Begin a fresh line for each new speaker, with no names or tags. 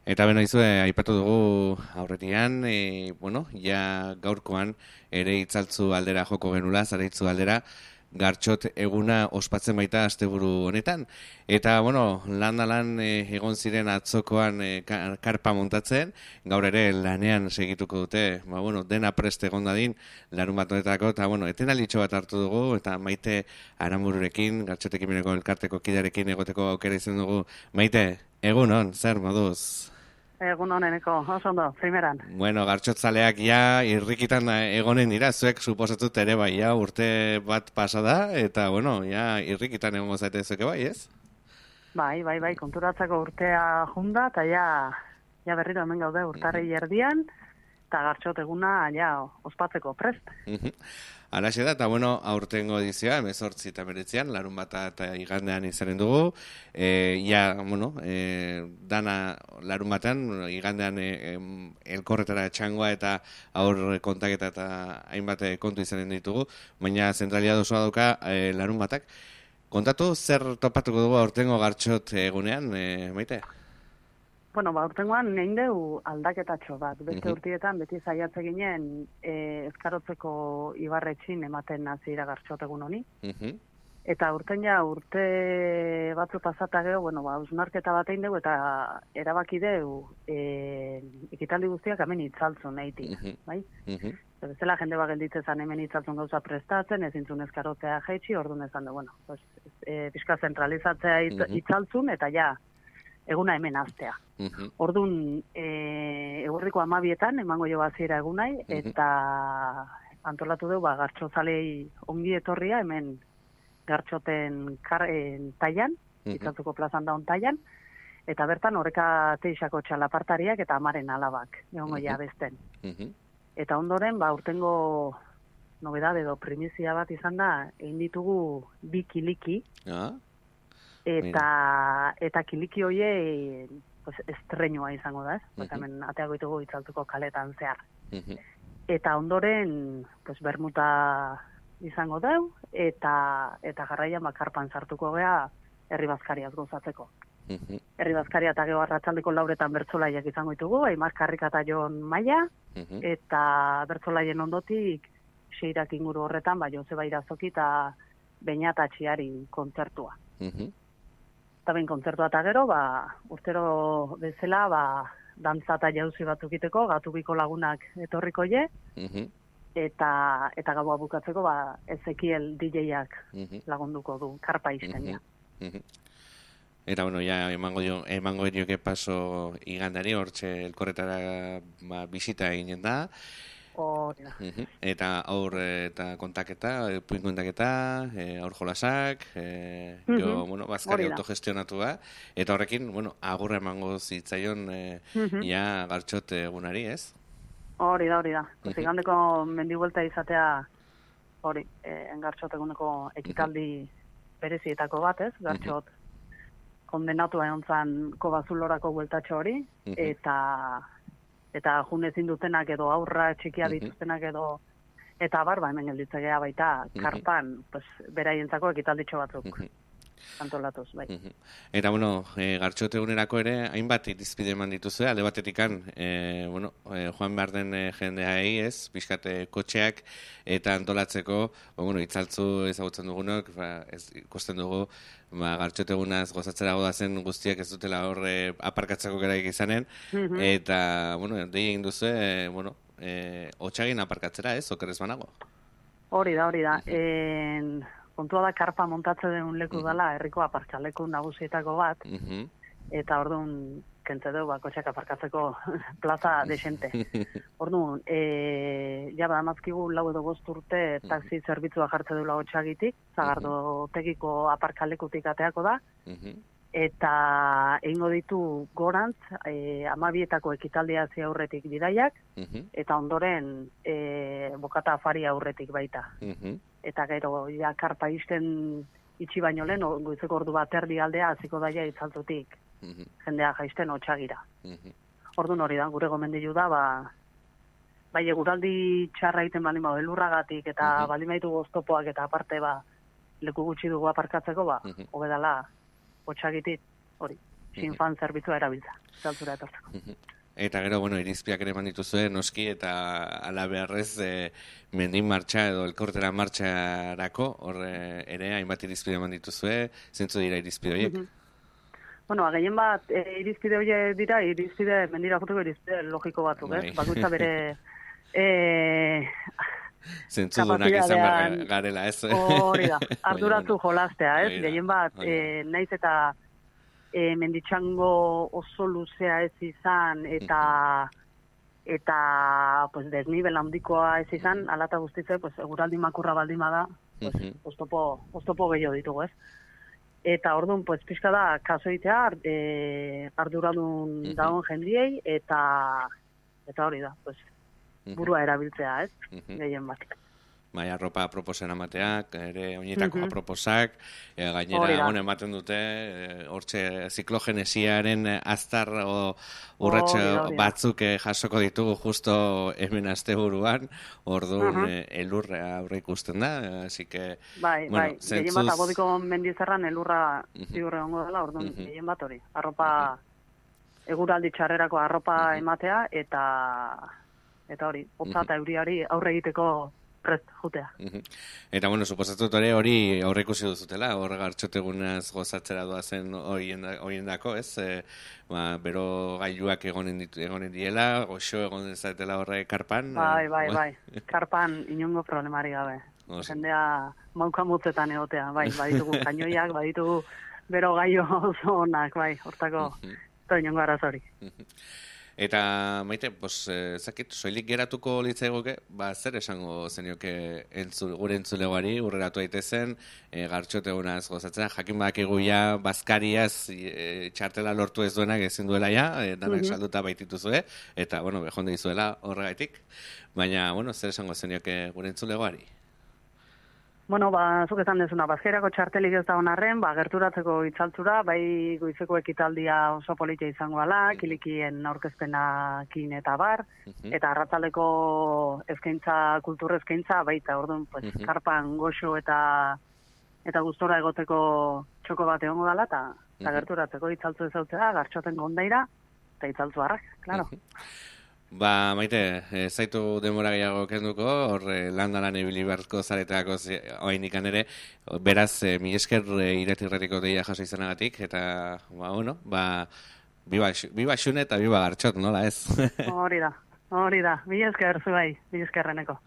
Eta beno izue, aipatu dugu aurretian, ja gaurkoan ere itzaltzu aldera joko genula, zaraitzu aldera, gartxot eguna ospatzen baita asteburu honetan. Eta, lan egon ziren atzokoan karpa montatzen, gaur ere lanean segituko dute, dena prest egon dadin, larun bat honetako, eta, etenalitxo bat hartu dugu, eta Maite Aramururekin, gartxotekin beneko elkarteko kidarekin egoteko aukera izan dugu. Maite, egun on, zer moduz?
Egun honeneko, oso ondo, primeran.
Gartxotzaleak ja irrikitan egonen dira, zuek suposatut ere bai, ja urte bat pasada, eta, ja irrikitan egongo zaite zueke bai, ez?
Bai, konturatzeko urtea junda, eta ja berriro hemen gaude urtarri erdian, eta gartxot eguna ja ospatzeko prest.
Alaxe da, eta aurtengo edizioa, 18 eta 19, larun bata eta igandean izanen dugu. Dana larun batean, igandean elkorretara txangoa eta aur kontaketa eta hainbat kontu izanen ditugu, baina zentralia dozoa dauka larun batak. Kontatu, zer topatuko dugu aurtengo gartxot egunean, Maite?
Urtengoan nein deu aldaketatxo bat. Beste urtietan beti zaiatze ginen ezkarotzeko ibarretxin ematen nazira gartxot egun honi. Eta urte batzu pasata gero, usnarketa bat egin dugu eta erabaki deu ekitaldi guztiak hemen itzaltzun eitik, bai? Bezala jende bat gelditzean hemen itzaltzun gauza prestatzen, ezintzun ezkarotzea jaitsi, orduan ezan du, pixka zentralizatzea itzaltzun eta ja, eguna hemen aztea. Orduan, eguerriko 12etan emango jo baziera egunai, eta antolatu dugu, gartxozalei ongi etorria hemen gartxoten taian, itzaltuko plazan daun taian, eta bertan horreka teixako txalapartariak eta amaren alabak, egongo ja besten. Eta ondoren, urtengo nobedade edo primizia bat izan da, egin ditugu bi kiliki, eta kiliki hoie estreñua izango da, ez? Hemen ateago ditugu itzaltuko kaletan zehar. Eta ondoren, bermuta izango dau, eta jarraian karpan sartuko gea herri bazkariaz gozatzeko. Herri bazkaria eta gero arratsaldeko lauretan bertsolaiak izango ditugu, Aimar Karrika eta Jon Maia, eta bertsolaien ondotik seirak inguru horretan, Joseba Irazoki eta Beñata Txiari kontzertua. Eta behin kontzertua eta gero, urtero bezala, dantza eta jauzi batzuk iteko, gatubiko lagunak etorriko je, eta gaua bukatzeko, Ezekiel DJ-ak lagunduko du, karpa izten ja.
Eta, emango dioke paso igandari, hortxe elkorretara bisita eginen da. Eta aur eta kontaketa, puin kontaketa, aur jolasak, bazkari autogestionatua, eta horrekin, agurra emango zitzaion gartxot egunari, ez?
Hori da. Igandeko mendibuelta izatea, gartxot eguneko ekitaldi berezietako bat, ez? Gartxot kondenatua egon zan Kobazulorako bueltatxo hori, eta junezin dutenak edo aurra txikia dituztenak edo eta hemen gelditzegea baita karpan beraientzako ekitalditxo batzuk antolatuz, bai.
Eta, gartxote egunerako ere, hainbat irizpide eman dituzue, alde batetikan, joan behar den jendeai, ez, pixkate kotxeak, eta antolatzeko, itzaltzu ezagutzen dugunok, ikusten dugu, gartxote egunaz gozatzera godazen guztiak ez dutela horre aparkatzeko geraik izanen, eta, dei egin duzu, hotxagin aparkatzera, ez, okerrez banago?
Hori da. Kontua da karpa montatze den leku dela, herriko aparkaleku nagusietako bat, eta orduan kentze dugu kotxeak aparkatzeko plaza desente. Orduan, badamazkigu 4 edo 5 urte taxi zerbitzua jartze duela hotxagitik, Zagardotegiko aparkalekutik ateako da, eta egingo ditu gorantz, 12etako ekitaldia zi aurretik bidaiak, eta ondoren bokata afari aurretik baita. Eta gero, karpa izten itxi baino lehen, goizeko ordu bat erdi aldea, hasiko daia itzaltutik, jendea jaisten hotxagira. Orduan hori da, gure gomendilu da, bai eguraldi txarra egiten baldin elurragatik, eta baldin baitu goztopoak, eta aparte leku gutxi dugu aparkatzeko, hobedala hotxagitit, hori. sinfan zerbitzua erabiltza, itzaltzura etortzeko.
Eta gero, bueno, irizpiak ere eman dituzue, noski, eta ala beharrez mendin martxa edo elkortera martxarako, hor ere hainbat irizpide eman dituzue, zentzu dira irizpide horiek?
Bueno, gehien bat, irizpide horiek dira, mendira joteko irizpide logiko batzuk, ez? Bakoitza bere...
Zentzu dunak izan behar garela, ez?
Hori da, arduratu jolastea, ez? Gehien bat, naiz eta menditxango oso luzea ez izan, eta pues, desnibel handikoa ez izan, alata guztitze, pues, eguraldi makurra baldin bada, pues, oztopo gehiago ditugu, ez? Eta orduan, pues, pixka da, kaso egitea, arduradun dagoen jendiei, eta hori da, pues, burua erabiltzea, ez? Gehien bat.
Bai, arropa proposen amateak, ere oinetako proposak, gainera hone ematen dute, hortxe ziklogenesiaren aztar urratxe batzuk jasoko ditugu justo hemen asteburuan, orduan elurra aurre ikusten da, así que...
Bai, gehien bat, abodiko mendizerran elurra ziurre ongo dela, orduan gehien bat hori, arropa, eguraldi txarrerako arropa ematea, eta hori, hotza eta euriari aurre egiteko prest jutea.
Eta, bueno, suposatut hori aurre ikusi duzutela, hor gartxotegunaz gozatzera doazen horien dako, ez? Bero gailuak egonen diela, goxo egon dezatela horre karpan.
Bai. Karpan inongo problemari gabe. Jendea mauka mutzetan egotea, bai, baditugu kainoiak, baditugu bero gaio oso onak, bai, hortako, inongo arazori.
Eta, Maite, zakit, soilik geratuko litzaigoke, zer esango zenioke gure entzulegoari, urreratu daitezen, gartxotegunaz gozatzea, jakin badakigu ja, bazkariaz txartela lortu ez duenak ezin duela ja, danak salduta baitituzue, eta, bueno, behonde izuela horregaitik, baina, bueno, zer esango zenioke gure entzulegoari?
Bueno, zuk esan dezuna, bazkairako txartelik ez da honarren, gerturatzeko itzaltzura, bai goizeko ekitaldia oso politia izango ala, kilikien aurkezpenakin eta bar, eta arratzaldeko eskaintza, kultur eskaintza, baita orduan, pues, karpan goxo eta gustora egoteko txoko bat egongo dela, eta gerturatzeko itzaltzu ezautzea, gartxoten gondaira, eta itzaltzu harrak, klaro.
Maite, zaitu denbora gehiago kenduko, hor landalan ibili beharko zareteako oainikan ere, beraz, mi esker iretirretiko deia jaso izanagatik, eta, biba xune eta biba gartxot, nola ez?
Hori da, mi esker zuai, mi eskerreneko.